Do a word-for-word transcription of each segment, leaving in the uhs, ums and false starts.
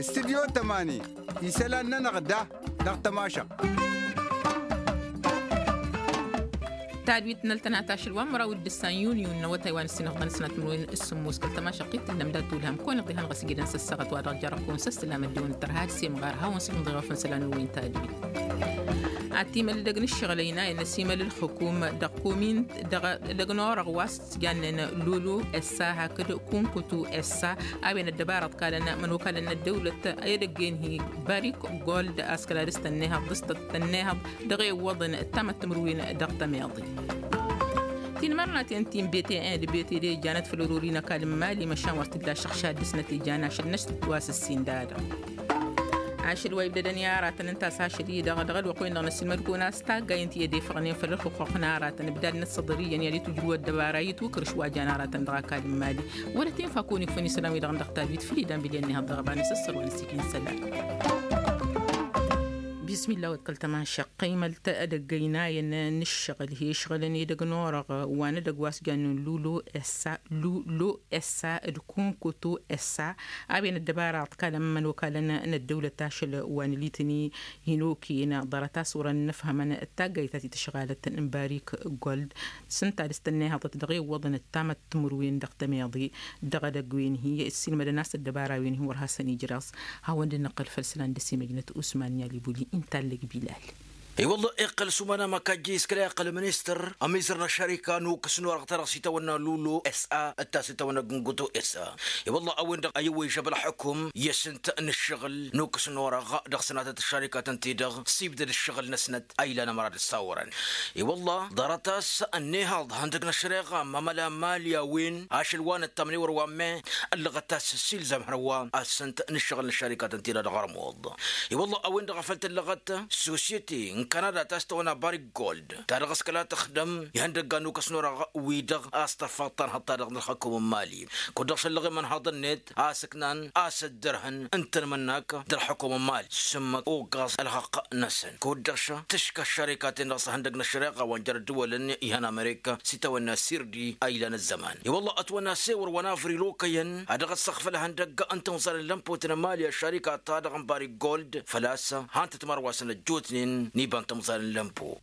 Studyo tămani isălan-nănăɣ da dăɣ-tămašăɣt. Tadwit n-ăltănat ašăl wa n-măraw d-ǝssan yunyu n-awătay wa n-ǝssinăɣ d-anăsnat n-win s-sǝmmos kăl-tămašăɣt-i t-tǝllăm dat-tulhăm kăwăn-iḍihăn ɣas ijidăn s-ăssaɣăt wa dăɣ-jărăb kăwăn s-ăssălam ăddiwăn tărha d-semɣar hawăn-sǝlmǝḍ iɣăfăn isălan n-win tadwit. Ad-timăl edăgg n-ǝššăɣǝl ăynayăn ăsimăl ǝlxǝkum dăɣ-komin dăɣ-edăgg n-orăɣ wa s-jannen lulu essa hakd kunkutu essa a-wen ăddăbara ǝḍkalăn mănokalăn n-ăddăwlăt i-edăgg-en hi-barik gold a-s kăla dăɣ-s tănnehăḍ dăɣ-s tănnehăḍ dăɣ-e-iwwăḍăn tamăttǝmrǝwin dăɣ-tămeḍe. Tinmărnaten ti n-bete-en d-bete de janăt făll-ărori n-ăkall n-imali măšan wăr t-illa ašăɣšad dăɣ-snăt ijan ašăl n-ašăl d-wa s-ǝssin dadăɣ. Ašăl wa ibdădăn i-aratăn ǝnta a-s ašăl-i-dăɣ dăɣ-ălwăqq-wen-dăɣ n-ăssilmăd-kăwăn a-s taggayăn ti ed efăɣnen făll-ǝlxǝqquq n-aratăn ǝbdad n-ăssăḍăr iyyăn i-ad-itwǝjrǝw ăddăbara itwǝkrǝš wa jan aratăn dăɣ-ăkall n-imali. Wăla tinfa kăwăn-ikfăn isălan-wi-dăɣ n-dăɣ-tadwit făll-idan bilăn-ni-hăḍ dăɣ-ăbanăs ăssăr wa n-ăssikin isălan. Bismillah wa d-kăl-tămašăq qimălt edăgg ăynayăn n-ǝššăɣǝl hi-ǝšɣǝlăn edăgg n-orăɣ wa n-edăgg wa s-jannen lulo essa lulo essa d-kunkutu essa a-wen ăddăbara ǝḍkalăn imănokalăn n-ăddăwlăt ašăl wa n-elitni hin-okăyăn ḍarăt a-s wărăn n-ǝfhămăn d-taggayt ta t-tǝšɣalăt n-barik gold s-ǝnta dăɣ-s tănnihăḍăt dăɣ-e-iwwăḍăn ǝttamăt timǝrwen dăɣ-tămeḍe dăɣ-edăgg wen-hi ǝssilmădăn a-s ăddăbara wen-hi wăr hasăn-ijraẓ. Hawăn-dd-năqqăl făll-isălan d-ăsimăjnăt usman i-alibuli inta ăllăg bilal. I-wălla iqqăl s-umanam ăkajjăy s-kăla iqqăl ministăr ămizăr n-ăššărika n-ukǝs n-orăɣ ta dăɣ-s itawănna lulu s-a d-ta s-itawănna gǝngutu s-a. I-wălla a-wen-dăɣ a iwwăyžăb ălxukum i-asǝnt n-ǝššăɣǝl n-ukǝs n-orăɣ dăɣ-sănatăt ăššărikatăn-ti-dăɣ s-ibdăd ǝššăɣǝl-năsnăt a ilan ămăra d-ăssawărăn. I-wălla ḍarăt a-s ănnihăḍ ihăndăg n-ăššăreɣa n-amăla n-imali a-wen ašăl wa n-ăttamnewăr wa n-me ăllăɣăt a-s s-ilzam hărwa a-s s-ǝnt n-ǝššăɣǝl n-ăššărikatăn-ti-dăɣ dăɣ-ărmuḍ. I-wălla a-wen-dăɣ a făl tăllăɣăt sosyete n-kanada ta s-tăwănna barik gold ta dăɣ-s kăla tăxdăm ihăndăggan n-ukăs n-orăɣ wi-dăɣ a-s tărfa ăṭṭanhăḍ-ta-dăɣ n-ălxăkum n-imali. Kud-dăɣ šăllăɣ imănhaḍ-net a sǝknan a-s ăddărhăn ǝntănmănnak d-ălxukum n-imali s-ǝmmǝk oggaẓ ălxăqq-năsăn kud-dăɣ šăh tǝškă ăššărikaten dăɣ-s ihăndăg n-ăššăreɣa wa n-jer-ăddǝwălăn ihăn amerika s-itawănna sirdi a ilan ăzzăman. I-wălla ătwănna asewăr wa n-avril okăyăn a dăɣ-ăssăɣfăl ihăndăg n-timẓal n-lămpot n-imali ăššărika-ta-dăɣ n-barik gold făl-a-s han-tăt mărwasăn ăjjootnen n-iba n-timẓal n-lămpo.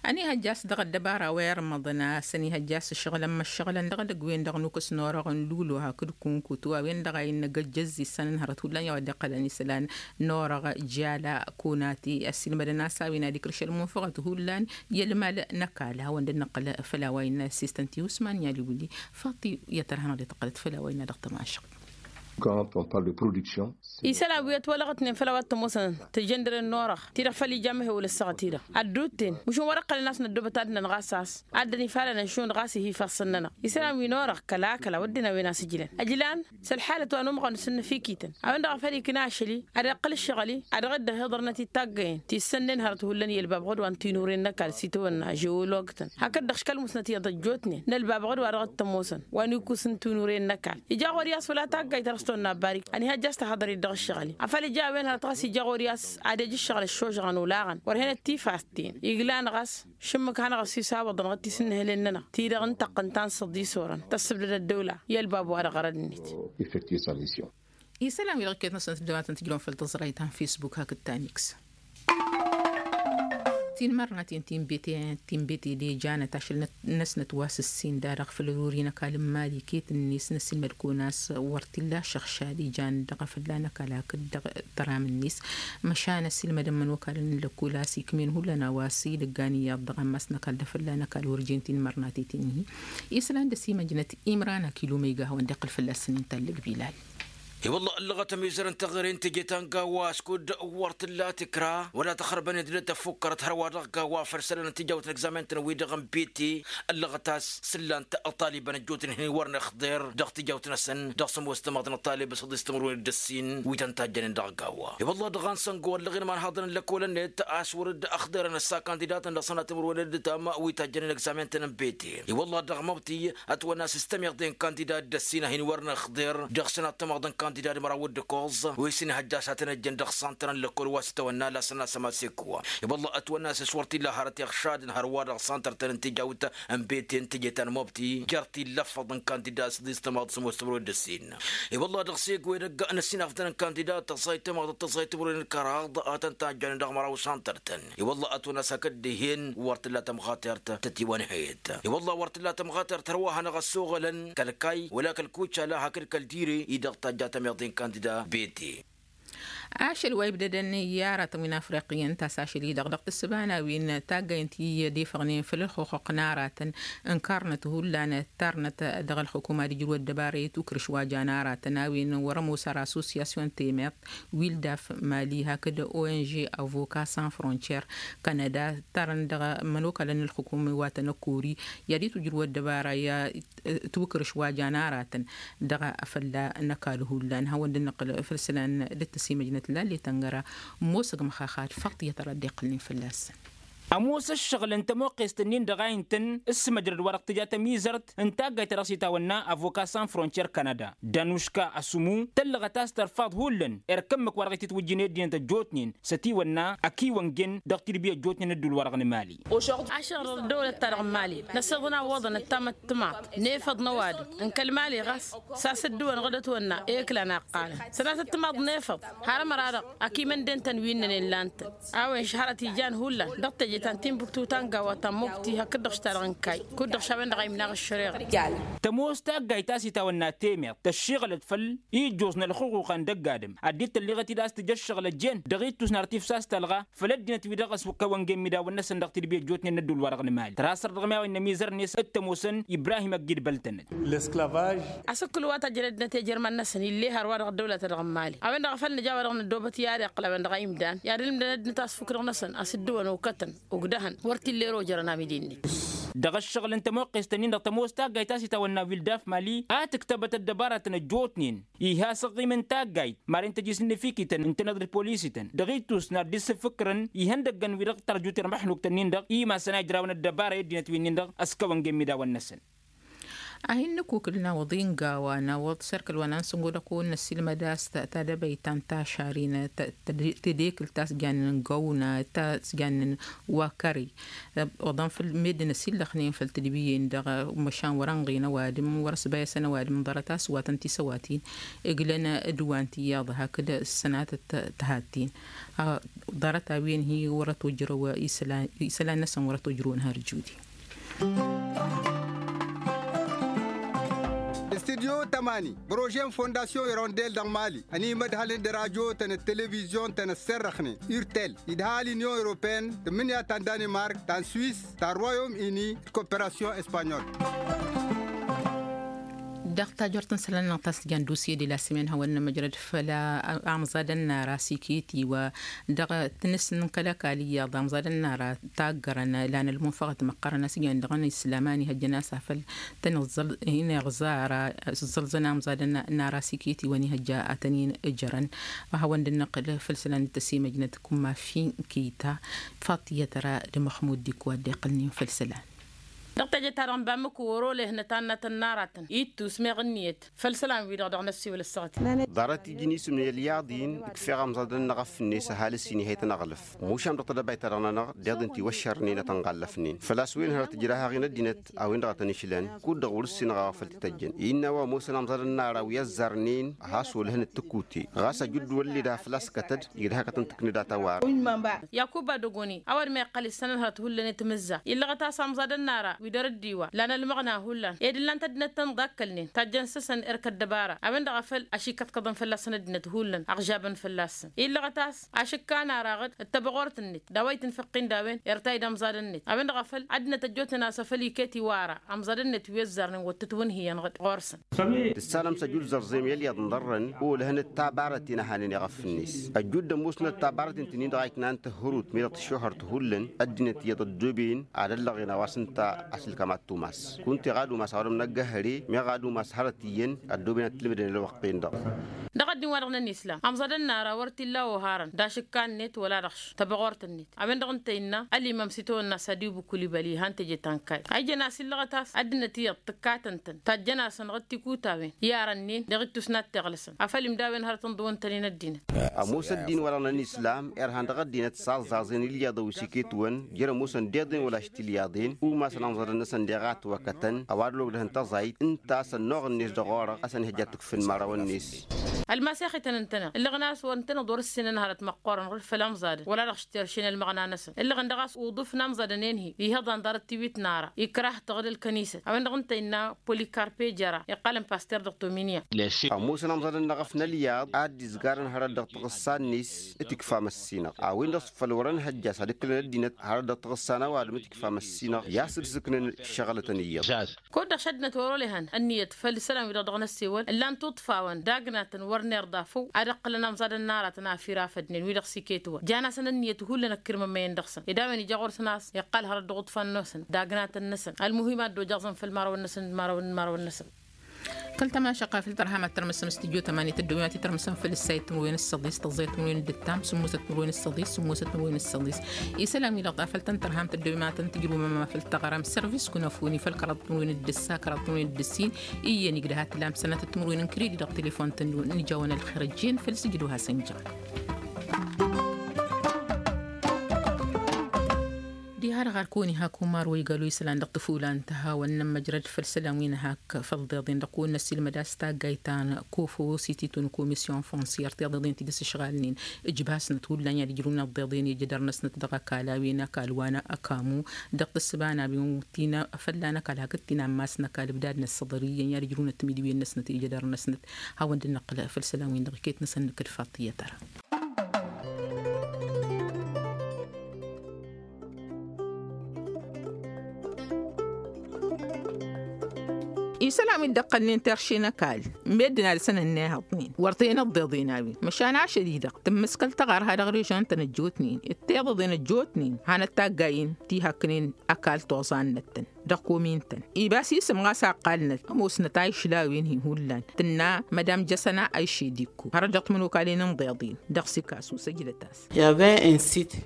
Ănihăjja a-s dăɣ-ăddăbara wa irmăḍăn a-s ănihăjja a-s ǝššăɣǝlăn măššăɣǝlăn dăɣ-edăgg-wen-dăɣ n-ukǝs n-orăɣ n-lulo hakd kunkutu a-wen-dăɣ a innă găjjăzzisăn n-hărăt hullan i-a-wa dd-iqqălăn isălan n-orăɣ jala kunati ăssiilmădăn a-s a-wen ad-ikrǝš ălmunfăɣăt hullan i-ălmal n-ăkall hawăn-dd-năqqăl făll-a-wa innă ăssiistăn ti usman i-aliwǝlli. Faṭi i-ad-tărha-năɣ dd-tăqqălăt făll-a-wa innă dăɣ-tămašăɣt. Quand on parle de production. Isălan wi ătwălăɣătnen făll-a-wa t-ămoosăn tǝjăndăren n-orăɣ ti-dăɣ făl ija amăhewăl ăssaɣăt-i-dăɣ ădduutten mǝšǝn wăr-ǝqqălăn a-s năddoobăt ad-ǝnnăn ɣas a-s ad-dd-ănifalăn ănšun ɣas ih'-i ifassăn-nănăɣ. Isălan wi n-orăɣ kăla-kăla wădden a-wen asǝjǝlăn ăjlan s-ălḥalăt wa n-umɣăn s-ǝnnǝfikităn a-wen-dăɣ a făl ikna ašăl-i ad-iqqǝl ǝššăɣǝl-i ad-dăɣ-dd-ăhiḍărnăt i-taggăyăn ti ǝssănnen hărăt hullan i-ălbabăɣ d-wa n-tinuren n-ăkall s-itawănna žewologtăn hakd-dăɣ škăl musnăt iyyăḍ ăjjootnen n-ălbabăɣ d-wa dăɣ-t-ămoosăn wa n-ikus n-tinuren n-ăkall ija ɣur-i a-s wăla taggayt ta dăɣ-s tăwănna ăbbarik ănihăjja a-s tahăḍăr-dd dăɣ-ǝššăɣǝl-i. Afăl ija a-wen hărăt ɣas ija ɣur-i a-s ad-ej ǝššăɣǝl ăššožăɣăn olaɣăn wăr hen ăttifastin iglan ɣas šǝmmǝk hanăɣ-ăsisawăḍăn ɣǝttis n-inhǝlen-nănăɣ ti-dăɣ n-tăqqǝnt ta n-săḍisorăn tăssǝbdăd ăddăwla i-ălbab wa-dăɣ ărăd-net. Effectuer sa mission. Isălan wi dăɣ-iket-năsăn tǝddăwatăn tǝjrăwăn făll-tăẓrayt ta n-facebook hakd ta n-x. Tinmărnaten ti n-bete ti n-bete de janăt ašăl-năsnăt wa s-ǝssin da-dăɣ făll-ărori n-ăkall n-imali iket-net n-ăssiilmăd-kăwăn a-s wăr t-illa ašăɣšad ijan dăɣ-afălla n-ăkall hakd dăɣ-tăram-net. Măšan ăssiilmădăn imănokalăn n-lăkkol a-s ikm'-en hullan a-wa s-idăggan iyyăḍ dăɣ-ammas n-ăkall d-afălla n-ăkall wăr jen tinmărnaten ti n-hi. Isălan d-ăsimăjnăt imran akilum iga a hawăn-dd-iqqǝl fălla-săn inta ăllăg bilal. I-wălla ăllăɣăt ămizărăn teɣăre n-teje ta n-gawwa a-s kud-wăr t-ǝlla tikra wăla tăxrăbăn i-dd-tăfukkărăt hărwa-dăɣ gawwa făll-isălan n-tijawt n-egzamen-tăn-wi-dăɣ n-biti. Ăllăɣăt a-s s-ǝllan-t ăṭṭalibăn ăjjootnen hin-wărăn ixḍer dăɣ-tijawt-năsăn dăɣ-sămoos tămaḍt n-ăṭṭalib s-ăḍis timǝrwen d-ǝssin wi tăn-tajjănen dăɣ-gawwa. I-wălla dăɣ-a n-săngo ăllăɣen imanhaḍăn n-lăkol-net a-s wăr-dd-ăxḍerăn ăssakan didatăn dăɣ-sănat timǝrwen d-ǝttam wi tajjănen egzamen-tăn n-biti. I-wălla dăɣ-măbti ătwănna s-ǝstămiḍe n-kandidat d-ăssin a hin-wărăn ixḍer dăɣ-sănat tămaḍt n-kandidat. Kandida d-măraw d-ǝkkoẓ wi s-inhăjja s-ad-tăn-ăjjăn dăɣ-santăr n-lăkkol wa s-tawănna lasăn-as ămasiku. I-wălla ătwănna s-s wăr t-illa hărăt iɣšadăn hărwa dăɣ-santăr-tăn n-tijawt n-bete n-teje ta n-mobti jer-t-illa ǝffăḍ n-kandida s-dd-istămaḍ s-ămoos timǝrwen d-ǝssin. I-wălla dăɣ-s egg wa edăgg n-ăssinafdăn n-kandida tăẓẓayt tămaḍăt tăẓẓayt timǝrwen n-kăraḍ ad-tăn-tajjănen dăɣ-măraw santăr-tăn. I-wălla ătwănna s-hakd dihen wăr t-illa tămɣatert tătiwănhăyăt. I-wălla wăr t-illa tămɣatert hărwa hanăɣ-ăssoɣălăn kăl-kayy wăla kăl-kucala hakd kăl-dire-i dăɣ-tajja tămiḍe n-kandida bete. Ašăl wa ibdădăn i-aratăn wi n-afriqiyăn ta s-ašăl-i-dăɣ dăɣ-tǝssǝba n-a-wen taggayăn ti dd-ifăɣnen făll-ălxuxuq n-aratăn ǝnkarnăt hullan ǝttarnăt dăɣ-ălxukuma d-ijrǝw ăddăbara i-tukrǝš wa jan aratăn a-wen wăr-ămoos ar assosyasyon temeḍt wildaf mali hakd ong avoka sans frontier kanada ǝttarăn dăɣ-imănokalăn n-ălxukum wa tăn-ăkkori i-ad-itwǝjrǝw ăddăbara i-ad-itwǝkrǝš wa jan aratăn dăɣ-afălla n-ăkall hullan hawăn-dd-nǝqqǝl făll-isălan dd-tăsimăjnăt lallet ăngăra. Ămoosăg măxaxat faḍt i-ad-tărăt dd-iqqǝlnen fălla-săn. Ămoos ǝššăɣǝl n-tămoqqest-nin-dăɣ a intăn s-măjrăd wa dăɣ-tǝja tămizărt n-taggayt ta dăɣ-s itawănna avoka san frontier kanada danuška ăsǝmu tăllăɣăt a-s tărfaḍ hullan erk ǝmmǝk wa dăɣ-ititwǝjjǝn i-ăddinăt ăjjootnen s-ătiwănna ăkiwăngen dăɣ-tidbi ăjjootnen ădduul-wa-dăɣ n-imali. Ašăr ăddăwlăt-ta-dăɣ n-imali năsiḍăn a ǝwwăḍăn ăttamăttămaḍ n-efăḍ n-ăwadǝm n-kăl-imali ɣas s-a-s ǝddǝwăn ɣǝd ătwănna eklan a ǝqqalăn sănatăt timaḍ n-efăḍ har ămăra-dăɣ akimănden-tăn wi ǝnnănen lan-tăn. A-wen šăhărăt ijan hullan dăɣ-teje ta n-timbuktu ta n-gawa ta n-mobti hakd-dăɣ š-ta-dăɣ n-kayy kud-dăɣ š-a-wen-dăɣ a imnaɣ ăššăreɣăt. Tămoos taggayt a-s itawănna temeḍt tăššiɣălăt făll-ijjuẓ n-ălxuxuxa n-dăgg-adǝm ad-dd-tălliɣăt-dd a-s tǝj ăššăɣǝl ăjjeen dăɣ-ittus n-ar tifsas tălɣa făll-ăddinăt wi dăɣ-s kăwăngen midawăn-năsăn dăɣ-tidbi ăjjootnen n-ădduul-wa-dăɣ n-imali tărha săr-dăɣ mi-a-wen n-ămizărnet d-tămoosăn ibrahim ăgg-dd băltănăt. L-esclavage. Asǝkkǝl wa tăjrădnăt i-ajărman-năsăn ill'-e hărwa dăɣ-ăddăwla-ta-dăɣ n-imali a-wen-dăɣ a făl nǝja a-wa dăɣ-năddoobăt i-ad-iqqǝl a-wen-dăɣ a imdan i-ad-ǝlǝmdăn ăddinăt a-s fukk-dăɣ-năsăn a-s dd-ǝwăn okătăn ugdăhăn wăr t-illa erojărăn amidi-net. Dăɣ-ăššăɣǝl n-tămoqqest-ǝnnin-dăɣ tămoos taggayt a-s itawănna wildaf mali a tǝktăbăt ăddăbaratăn ăjjootnen iha s-ăɣɣim n-taggayt maren tăjis n-inǝfikităn n-tinăḍ d-polisităn dăɣ-ittus n-ad-dd-sǝfǝkrăn ihăndăggăn wi-dăɣ tărjut irmăḥnuk-tăn-in-dăɣ imasăn a ijrawăn ăddăbara i-ăddinăt wi-nin-dăɣ ăskăwăn gen midawăn-năsăn. Ad-hin-nǝkukǝl n-awăḍi n-gawa n-awăḍ s-erk ălwănan sǝngo dăɣ-kăwăn-năssilmăd a-s tadăbayt ta n-tašarin tedekǝlt ta s-jannen găwna ta s-jannen wa kăre oḍăn făll-meddǝn ăsillăxnen făll-tedbiyen-dăɣ măšan wăr-ănɣin ăwadǝm wăr-ăsbayăsăn ăwadǝm ḍarăt a-s wa tăn-tisăwatin ǝglăn d-wa n-tiyyăḍ hakd s-sănatăt tăhatten. Ḍarăt a-wen-hi wăr-ătojrăw isălan-năsăn wăr-ătojrăwăn har judi. Studyo tămani prože n-fondasyon irondel dăɣ-mali ănimădhălăn d-rajotăn d-televizyon-tăn ăsserrăxnen urtel idha l-inyon europeen tǝmmǝnǝya ta n-danimark ta n-swis ta n-royom ini d-koperasyon espanyol. Dăɣ-tajort n-isălan-năɣ ta s-tǝja n-dusye de la sămen hawăn-nămăjrăd făll-amẓadăn n-ara siketi wa dăɣ-tǝnǝs n-kăl-ăkall iyyăḍ amẓadăn n-ara taggărăn lan ălmunfăɣăt măqqărăn a-s iyyăn dăɣ-năslam a n-ihăjjăn a-s afăl tăn-iẓẓălzăn amẓadăn n-ara siketi wa n-ihăjja ad-tăn-in-ǝjrăn. Wa hawăn-dd-năqqǝl făll-isălan d-tăsimăjnăt kumma finkita faṭiyăt ra d-măxmud dik wa dd-iqqǝlnen făll-isălan. Dăɣ-teje-ta-dăɣ n-bamǝk wăr-olehăn ătannătăn n-aratăn ittus meɣ ǝnniyăt făll-isălan-wi-dăɣ dăɣ-năssiwǝl ăssaɣăt. Ḍarăt iji n-isǝm n-ălyaḍ-in ǝkfeɣ amẓadăn n-aɣăf-net ăhalǝs-in ihayăt ănăɣlăf mušam dăɣ-tedăbayt-ta-dăɣ-nănăɣ deḍ-in tiwăššărnen ad-tăn-ɣallăfnen făl-a-s wen hărăt ǝjrah-aɣ-in ăddinăt a-wen-dăɣ a tăn-išlăn kud-dăɣ wăr-ǝssinăɣ a-wa făl t-tăjjăn. Innă a-wa ămoosăn amẓadăn n-ara wi ăzzarnen ad-has-olhăn d-tǝkute ɣas ăjudd wăr dd-ila făl-a-s kătăd igdăh-akăt n-tǝknǝdat a-wa-dăɣ. Yakuba dăgoni a-wa dd-meqqăl issanăn hărăt hullan i-timǝzza illăɣăt a-s amẓadăn n-ara wi dăr-dd-iwa lan ălmăɣna hullan ed ǝllan-t ăddinăt tăn-dd-akkălnen tajjăn s-săn erk ăddăbara a-wen-dăɣ a făl ašikăḍkăḍăn fălla-săn ăddinăt hullan ăɣžabăn fălla-săn illăɣăt a-s ašǝkka n-araɣăd d-tăbɣort-net d-a-wa itǝnfăqqin d-a-wen irtay d-amẓad-net a-wen-dăɣ a făl ăddinăt ăjjootnen a-s afăl iket iwara amẓad-net wi ăzzarnen wăr tǝtwǝnhǝyăn ɣǝd ɣur-săn. Tǝssanăm s-ăjut zărẓem i-ălyaḍ n-iḍărrăn olăhăn d-tabarăten a hanen iɣăf-net ăjut d-ămoosnăt tabarăten ti-nin-dăɣ a iknan tǝhhărut mi-dăɣ tǝššuhăr tihullen ăddinăt iyyăḍ ăddooben ad-ăllăɣen a-wa s-ǝnta a-s ǝlkămat tumas kunta iɣad umas a-wa dăɣ-năggăhăre meɣ ad-umas hărăt iyyăn ăddooben ad-t-ǝlmǝdăn ălwăqq-en-dăɣ. Dăɣ-a Ăddin-wa-dăɣ n-ănislam ămẓădăn n-ara wăr t-illa oharăn d-ašǝkka-net wăla-dăɣ š-tabăɣort-net. A-wen-dăɣ ǝnta innă ălimam s-itawănna sadibu kulibali ihăn teje tankayt a ijăn a-s illăɣăt a-s ăddinăt iyyăḍ tǝkkatăn-tăn tajjăn-asăn ɣǝd tikutawen i-arănnen dăɣ-ittus n-ad-t-iɣlăsăn afăl imdawen hărăt ǝnḍǝwăn-tăn-in ăddinăt. Ămoos ăddin-wa-dăɣ n-ănislam irhan dăɣ-ăddinăt s-aẓẓaẓen ilyaḍăn wi s-iket-wăn jer-ămoosăn deḍen wăla š-tilyaḍen umasăn amẓădăn-năsăn deɣ a ătwăkătăn ăwadǝl ogdăhăn taẓayt ǝnta a-s ănnuɣ-net dăɣ-orăɣ a-s ănhăjja ad-t-ǝkfǝn imărawăn-net. Ălmasex-ităn ǝntăneḍ ǝllăɣăn a-s wăr ǝntăneḍ wăr-ǝssinăn hărăt măqqoorăn ɣǝr făll-amẓadăn wăla-dăɣ š-terše n-ălmăɣna-năsăn ǝllăɣăn dăɣ-a-s uḍǝf n-amẓadăn-en-hi ihăḍan ḍarăt tiwit n-ara ikrah-tăɣ d-ălkănisăt a-wen-dăɣ ǝnta innă polikarpe jăra iqqalăn paster dăɣ-tominya. Ămoosăn amẓadăn n-eɣăf n-ălyaḍ a dd-izgarăn hărăt dăɣ-taɣǝssa-net. Tikfa măssinăɣ a-wen-dăɣ s-făl wăr-ănhăjja a-s ad-ǝklăn ăddinăt hărăt dăɣ-taɣǝssa n-ăwadǝm tikfa măssinăɣ i-asǝd s-ǝknăn ǝššăɣǝlătăn iyyăḍ. Kud-dăɣ šăddinăt wăr-olăhăn ănniyăt făll-isălan-wi-dăɣ dăɣ-năssewăl ǝllan tuṭṭfawăn d-agnatăn wăr nerḍa făw ad-ǝqqǝlăn amẓadăn n-aratăn afir afădnen wi-dăɣ s-iket-wăn jan-asăn ănniyăt hullan ăkkirmămăyăn dăɣ-săn ed a-wen ija ɣur-săn a-s iqqal hărăt dăɣ-uṭṭfan-nosăn d-agnatăn-năsăn. Ălmuhim a dd-ojăɣẓăn făll-imărawăn-năsăn d-imărawăn n-imărawăn-năsăn. Kăl-tamašăqa făll-tărham ad-tărmǝsăm s-tijot ămanit ăddoomin ad-t-tărmǝsăm făll-ǝssayăt timǝrwen s-săḍis tăẓẓayăt timǝrwen d-ǝttam sǝmmosăt timǝrwen s-săḍis sǝmmosăt timǝrwen s-săḍis. Isălan-wi-dăɣ ta făll-tăn-tărham tăddoomin ad-tăn-tǝjrǝwăm ămama făll-taɣăram sărvis kunăfuni făll-kăraḍ timǝrwen d-ǝssa kăraḍ timǝrwen d-ǝssin. Iyyăn igdăh ad-t-lam sănatăt timǝrwen n-kredit dăɣ-telefon-tăn-dăɣ n-ijawăn ălxer ăjjeen făll-sǝjǝd wa hasăn-jăɣ. Diha-dăɣ ar kăwăn-iha kumar wa igalo isălan dăɣ-tǝfulan tăhawăn n-ămmăjrăd făll-isălan wi n-hak făll-deḍen dăɣ-kăwăn-năsilmăd a-s taggayt ta n-kofo s-ititun komisyon fonsyăr tiḍeḍen ti dăr-s ǝšɣalnen. Ǝjbasnăt hullan i-ad-ǝjrǝwăn ăḍḍeḍen ijădăr-năsnăt dăɣ-ăkall a-wen ăkall wa n-ăkamu dăɣ-tǝssǝba n-a-wen tina fălla n-ăkall hakd tina n-imass n-ăkall ǝbdad n-ăssăḍăr iyyăn i-ad-ǝjrǝwnăt timǝdǝwen-năsnăt ijădăr-năsnăt. Hawăn-dd-năqqǝl făll-isălan-win-dăɣ iket-năsăn nǝkǝd faṭ iyyăt ara. Isălan wi dd-ăqqălnen terše n-ăkall meddǝn alsăn ănnihăḍnen wăr t-en ăḍḍeḍen a-wen măšan ašăl-i-dăɣ tǝmmǝskăl tăɣarha dăɣ-režon-tăn ăjjootnen d-tiḍeḍen ăjjootnen hanăt-taggayen ti hakknen ăkall toẓa-năttăn. Dăɣ-komin-tăn ibas isǝm ɣas a ǝqqalnăt ămoosnăt a išla a-wen-hi hullan tǝnna mădam jăsăna a išedikku hărăt dăɣ-timǝnokalen n-iḍeḍen dăɣ-sikasu săjdăt-as.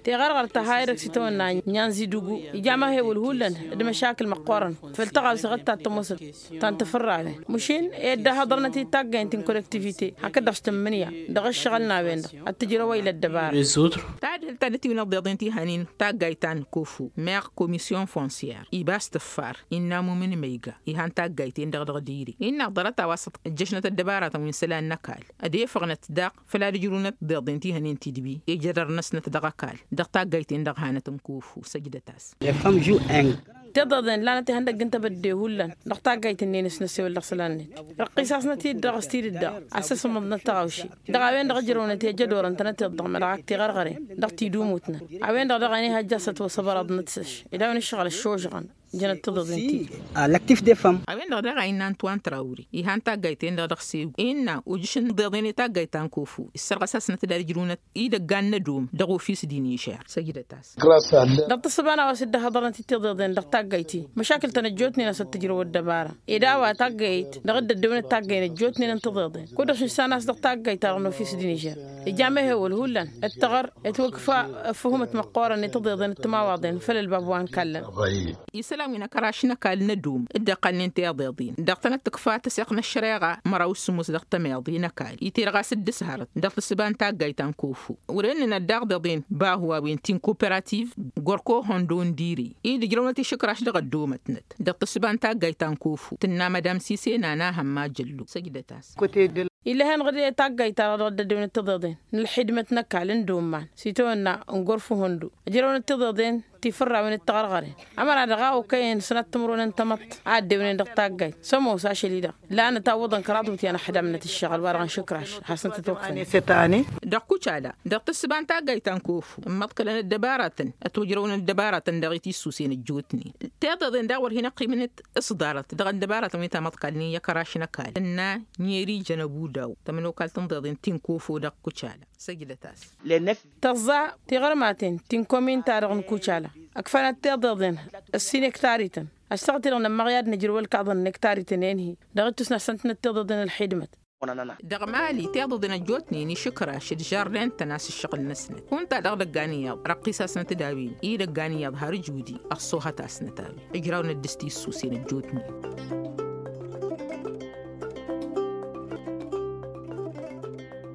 Tiɣărɣărt tăha edăgg s-itawănna nyanzi dugu ija amăhewăl hullan d-măšakǝl măqqoorăn făll-tăɣawse ɣǝttat tămoosăt ta n-tafărrawen măšin ed dd-ăhhăḍărnăt-dd taggayen ti n-kolektivite hakd-dăɣ s-tǝmmǝnǝya dăɣ-ǝššăɣǝl n-a-wen-dăɣ ad-tǝjrăw ăylăt dăbara. Tadhǝlt ta n-ătiwǝn ăḍḍeḍen ti hănen taggayt ta n-kofu meɣ komisyon fonsyar ibas tǝffar innă mumǝn măyga ihan taggayt-en-dăɣ dăɣ-diri innă ḍarăt a-wa s-ăjjăšnăt ăddăbaratăn wi n-isălan n-ăkall ădefăɣnăt daɣ făl ad-ǝjrǝwnăt tiḍeḍen ti hănen tidbi ijădăr-năsnăt dăɣ-ăkall dăɣ-taggayt-en-dăɣ hanăt n-kofu săjdăt-as. Tiḍeḍen lanăt ihăndăgg n-tebădde hullan dăɣ-taggayt-ǝnnin s-năssewăl dăɣ-isălan-net răqqis-asnăt-dd dăɣ-s tidǝdda a-s ăsmăḍnăt taɣawše dăɣ-a-wen-dăɣ ǝjrăwnăt i-ajădorăn tănăteḍ-dăɣ mălɣak tiɣărɣăren dăɣ-tidumutnăt a-wen-dăɣ daɣ a n-ihăjja s-ătwăsăbărăḍnăt s-ăš ed a-wen ǝššăɣǝl ăššožăɣăn. Jănăt tiḍeḍen-ti. Alăktif defăm. A-wen-dăɣ daɣ a innă antoine traure ihan taggayt-en-dăɣ dăɣ-segu innă ujǝš n-tiḍeḍen i-taggayt ta n-kofu issărɣăs-asnăt d-ad-ǝjrǝwnăt idăggan n-ădom dăɣ-ofis d-inižer săjdăt-as. Dăɣ-tǝssǝba n-a-wa s-dd-ăhhăḍărnăt i-tiḍeḍen dăɣ-taggayt-i măšakǝl-tăn ăjjootnen a-s ăttǝjrăw ăddăbara ed a-wa taggayt dăɣ-dd-ăddewănăt taggayen ăjjootnen n-tiḍeḍen kud-dăɣ šǝssan a-s dăɣ-taggayt-ta-dăɣ n-ofis d-inižer. Ija amehewăl hullan ǝttăɣăr ătwǝkfa ăffǝhumăt măqqoorăn i-tiḍeḍen d-timawaḍen făll-ălbab wa n-kallăn. Isălan wi n-akăraš n-ăkall n-ădum dd-iqqălnen tiḍeḍen dăɣ-tănăt-tǝkfa tăseɣt n-ăššăreɣa măraw s-sǝmmos dăɣ-tămeḍe n-ăkall iterɣas d-ǝshărăt dăɣ-tǝssǝba n-taggayt ta n-kofu. Wăr-ennănăt daɣ deḍen bahu a-wen ti n-koperativ gorko hondo n-dire-i d-ǝjrăwnăt išǝkraš dăɣ-ăddomătnăt dăɣ-tǝssǝba n-taggayt ta n-kofu tǝnna mădam sise n-ana hămma jăllo săjdăt-as. Ill'-e-hen ɣǝd i-taggayt-ta-dăɣ dăɣ-dd-ăddewănăt tiḍeḍen n-ălxidmăt n-ăkall n-domman s-itawănna n-gorfu hondo ăjrăwnăt tiḍeḍen ti fărrawen d-tiɣărɣăren ămăra dăɣ-a okăyăn sănat timǝrwen n-tamăḍt a ăddewnen dăɣ-taggayt s-ămoos ašăl-i-dăɣ. Lanăt a ǝwwăḍăn kăraḍ iwǝtyan ăxdamnăt ǝššăɣǝl wa dăɣ-nǝšǝkraš ad-hasnăt-ătwăkfăn. Dăɣ-kucala dăɣ-tǝssǝba n-taggayt ta n-kofu ǝmmăḍkălăn ăddăbaratăn ătwăjrăwăn ăddăbaratăn dăɣ-i tissusen ăjjootnen. Tiḍeḍen daɣ wăr hin-ăqqimnăt s-ḍarăt dăɣ-ăddăbaratăn wi tamăḍkalnen i-akăraš n-ăkall tǝnna n-eri jănăbudaw tămănokalt n-tiḍeḍen ti n-kofu dăɣ-kucala. Săjdăt-as. Tăẓẓa tiɣărmaten ti n-komin-ta-dăɣ n-kucala ǝkfănăt tiḍeḍen ǝssin ektarităn. Ăssaɣăt-i-dăɣ nămmăɣ i-ad-nǝjrǝw ălkaḍăn n-ektarităn-en-hi dăɣ-ittus n-ad-săn tǝnnăt tiḍeḍen ălxidmăt. Dăɣ-mali tiḍăḍen ăjjootnen išǝkraš d-žarden-tăn a-s ǝššăɣǝl-năsnăt kunta dăɣ-idăggan iyyăḍ răqqisasnăt d-a-wen idăggan iyyăḍ har ǝjudi. Ăṣṣoohăt-asnăt a-wen ǝjrawnen d-s tissusen ăjjootnen.